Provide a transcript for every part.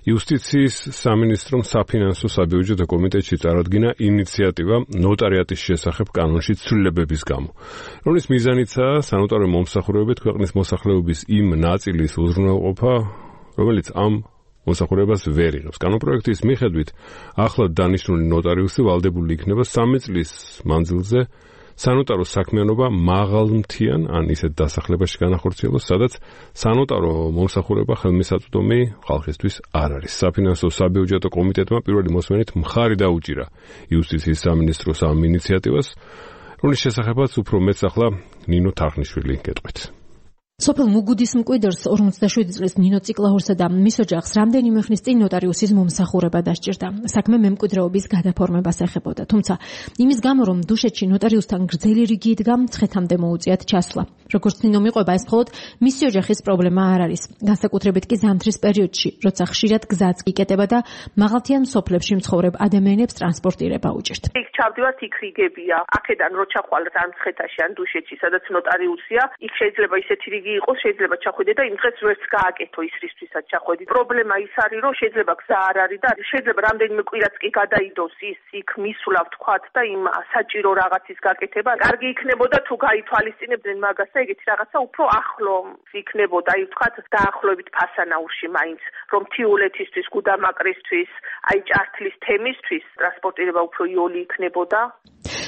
იუსტიციის სამინისტრომ საფინანსო საბიუჯეტო კომიტეტში წარადგინა ინიციატივა ნოტარიატის შესახებ კანონში ცვლილებების გამო, რომლის მიზანიცაა სანოტარო მომსახურებებით ქვეყნის მოსახლეობის იმ ნაწილის უზრუნველყოფა, რომელიც ამ მოსახურებას ვერ იღებს. კანონპროექტის მიხედვით ახლად დანიშნული ნოტარიუსი ვალდებული იქნება 3 წლის მანძილზე სანოტარო საქმიანობა მაღალმთიან ან ისეთ დასახლებაში განახორციელოს, სადაც სანოტარო მომსახურება ხელმისაწვდომი ხალხისთვის არ არის. საფინანსო საბიუჯეტო კომიტეტმა პირველი მოსმენით მხარი დაუჭირა იუსტიციის სამინისტროს ამ ინიციატივას, რომლის შესახებაც უფრო მეტს ახლა ნინო თარხნიშვილი გეტყვით. სოფელ მუგუდის მკვიდრს 47 წლის ნინო ციკლაურსა და მის ოჯახს რამდენიმე ხნის წინ ნოტარიუსის მომსახურება დასჭირდა. საქმე მემკვიდრეობის გადაფორმებას ეხებოდა, თუმცა იმის გამო, რომ დუშეთში ნოტარიუსთან გრძელი რიგი იდგა, ცხეთამდე მოუწიათ ჩასვლა. როგორც ნინო მიყვება, ეს მხოლოდ მისი ოჯახის პრობლემა არ არის. განსაკუთრებით კი ზამთრის პერიოდში, როცა ხშირად გზაც იკეტება და მაღალმთიან სოფლებში მცხოვრებ ადამიანებს ტრანსპორტირება უჭირთ. იქ ჩავდივართ, იქ რიგებია. აქედან რო ჩახვალთ ან ცხეთაში ან დუშეთში, სადაც ნოტარიუსია, იქ შეიძლება ისეთი რიგი იყოს, შეიძლება ჩახვიდე და იმ დღეს ვერც გააკეთო ის რისთვისაც ჩახვედი. პრობლემა ის არის, რომ შეიძლება გზა არ არის და შეიძლება რამდენიმე კვირაც კი გადაიდოს ის იქ მისვლა ვთქვათ და იმ საჭირო რაღაცის გაკეთება. კარგი იქნებოდა თუ გაითვალისწინებდნენ მაგას და ეგეთი რაღაცა უფრო ახლო იქნებოდა, აი ვთქვათ დაახლოებით ფასანაურში მაინც, რომ თიულეთისთვის, გუდამაკრისთვის, აი ჭართლის თემისთვის ტრანსპორტირება უფრო იოლი იქნებოდა.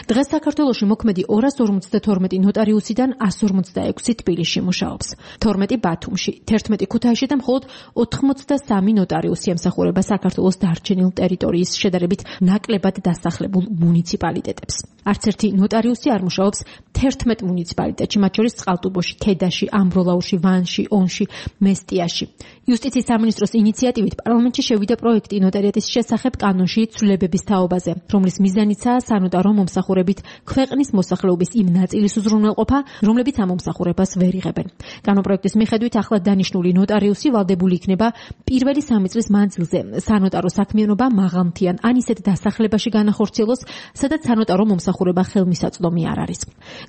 დღეს საქართველოში მოქმედი 252 ნოტარიუსიდან 156 თბილისში მუშაობს, 12 ბათუმში, 11 ქუთაისში და მხოლოდ 83 ნოტარიუსი ემსახურება საქართველოს დარჩენილ ტერიტორიის შედარებით ნაკლებად დასახლებულ მუნიციპალიტეტებს. არც ერთი ნოტარიუსი არ მუშაობს 11 მუნიციპალიტეტში, მათ შორის წყალტუბოში, ქედაში, ამბროლაურში, ვანში, ონში, მესტიაში. იუსტიციის სამინისტროს ინიციატივით პარლამენტში შევიდა პროექტი ნოტარიატის შესახებ კანონში ცვლილებების თაობაზე, რომლის მიზანიცაა სანოტარო მომსახურებით ქვეყნის მოსახლეობის იმ ნაწილის უზრუნველყოფა, რომლებიც ამ მომსახურებას ვერ იღებენ. კანონპროექტის მიხედვით ახლად დანიშნული ნოტარიუსი ვალდებული იქნება პირველი 3 წლის მანძილზე სანოტარო საქმიანობა მაღალმთიან ან ისეთ დასახლებაში განახორციელოს, სადაც სანოტარო მომსახურება ხელმისაწვდომი არ არის.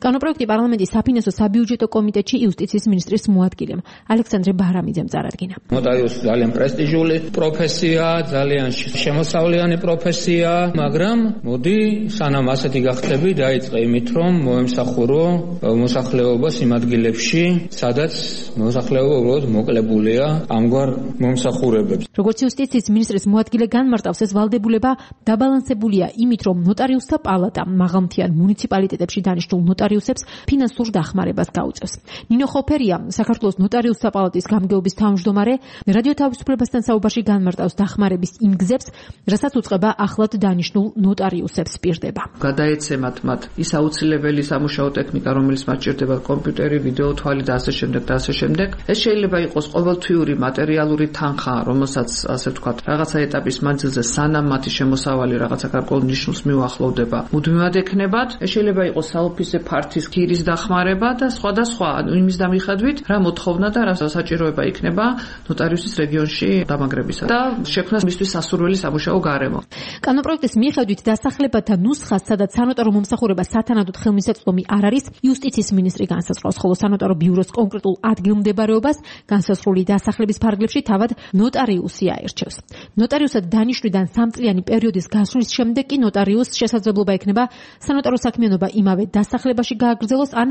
კანონპროექტი პარლამენტის საფინანსო საბიუჯეტო კომიტეტში იუსტიციის მინისტრის მოადგილემ ალექსანდრე ბარამიძემ წარადგინა. ნოტარიუსი ძალიან პრესტიჟული პროფესია, ძალიან შემოსავლიანი პროფესია, მაგრამ მოდი სანამ ასეთი გახდები, დაიწყე იმით, რომ მოემსახურო მოსახლეობას იმ ადგილებში, სადაც მოსახლეობა უბრალოდ მოკლებულია ამგვარ მომსახურებებს. როგორც იუსტიციის მინისტრის მოადგილე განმარტავს, ეს ვალდებულება დაბალანსებულია იმით, რომ ნოტარიუსთა პალატა მაღალმთიან მუნიციპალიტეტებში დანიშნულ ნოტარიუსებს ფინანსურ დახმარებას გაუწევს. ნინო ხოფერია, საქართველოს ნოტარიუსთა პალატის გამგეობის თავმჯდომარე, რადიო თავისუფლებასთან საუბარში განმარტავს დახმარების იმ გზებს, რასაც უწყება ახლად დანიშნულ ნოტარიუსებს პირდება. გადაეცემათ მათ ის აუცილებელი სამუშაო ტექნიკა, რომელიც მათ ჭირდება, კომპიუტერი, ვიდეო თვალი და ასე შემდეგ და ასე შემდეგ. ეს შეიძლება იყოს ყოველთვიური მატერიალური თანხა, რომელსაც ასე ვთქვათ, რაღაცა ეტაპის მანძილზე სანამ მათი შემოსავალი რაღაცა გარკვეულ ნიშნულს მიუახლოვდება, მუდმივად ექნებათ. ეს შეიძლება იყოს საოფისე ფართის ქირის დახმარება და სხვა. იმის დამიხედვით, რა მოთხოვნა და რა საჭიროება იქნება ნოტარიუსის რეგიონში დამაგრებისა და შექმნას მისთვის სასურველი სამუშაო გარემო. კანონპროექტის მიხედვით დასახლებათა ნუსხას, სადაც სანოტარო მომსახურება სათანადოდ ხელმისაწვდომი არ არის, იუსტიციის მინისტრი განსაზღვრავს, ხოლო სანოტარო ბიუროს კონკრეტულ ადგილმდებარეობას განსაზღვრული დასახლების ფარგლებში თავად ნოტარიუსი აირჩევს. ნოტარიუსად დანიშნვიდან 3 წლიანი პერიოდის გასვლის შემდეგ კი ნოტარიუსს შესაძლებლობა ექნება სანოტარო საქმიანობა იმავე დასახლებაში გააგრძელოს ან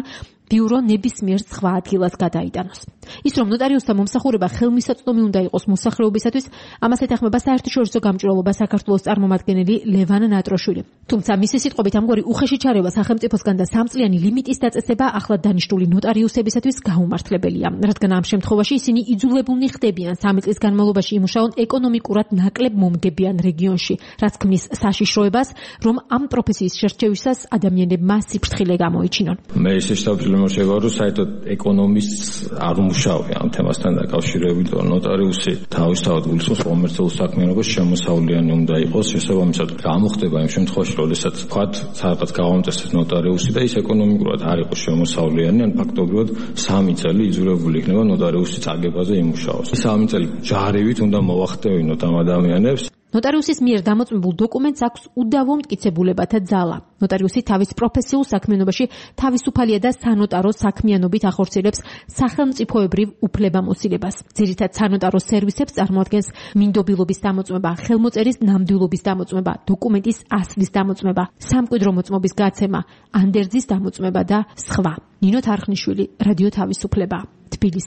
ბიურო ნებისმიერ სხვა ადგილას გადაიტანოს. ის რომ ნოტარიუსთა მომსახურება ხელმისაწვდომი უნდა იყოს მოსახლეობისათვის, ამას ეთანხმება საერთაშორისო გამჭვირვალობა საქართველოს წარმომადგენელი ლევან ნატროშვილი. თუმცა მისი სიტყვებით ამგვარი უხეში ჩარევა სახელმწიფოსგან და 3 წლიანი ლიმიტის დაწესება ახლად დანიშნული ნოტარიუსებისათვის გაუმართლებელია, რადგან ამ შემთხვევაში ისინი იძულებულნი ხდებიან 3 წლის განმავლობაში იმუშაონ ეკონომიკურად ნაკლებ მომგებიან რეგიონში, რაც ქმნის საშიშროებას, რომ ამ პროფესიის შერჩევისას ადამიანებმა სიფრთხილე გამოიჩინონ. მე შეგვიძლია რომ საერთოდ ეკონომისტს არ უმუშავია ამ თემასთან დაკავშირებით, რომ ნოტარიუსი თავისთავად გულისხმობს კომერციულ საქმიანობას, შემოსავლიანი უნდა იყოს, შესაბამისად გამოხდება იმ შემთხვევაში, როდესაც ვთქვათ, სადღაც გავამწესებს ნოტარიუსი და ის ეკონომიკურად არ იყოს შემოსავლიანი, ან ფაქტობრივად 3 წელი იძულებული იქნება ნოტარიუსის წაგებაზე იმუშაოს. 3 წელი ჯარივით უნდა მოვახტევინოთ ამ ადამიანებს. ნოტარიუსის მიერ დამოწმებულ დოკუმენტს აქვს უდავო მტკიცებულებათა ძალა. ნოტარიუსი თავის პროფესიულ საქმიანობაში თავისუფალია და სანოტარო საქმიანობით ახორციელებს სახელმწიფოებრივ უფლებამოსილებას. ძირითად სანოტარო სერვისებს წარმოადგენს მინდობილობის დამოწმება, ხელმოწერის ნამდვილობის დამოწმება, დოკუმენტის ასლის დამოწმება, სამკვიდრო მოწმობის გაცემა, ანდერძის დამოწმება და სხვა. ნინო თარხნიშვილი, რადიო თავისუფლება, თბილისი.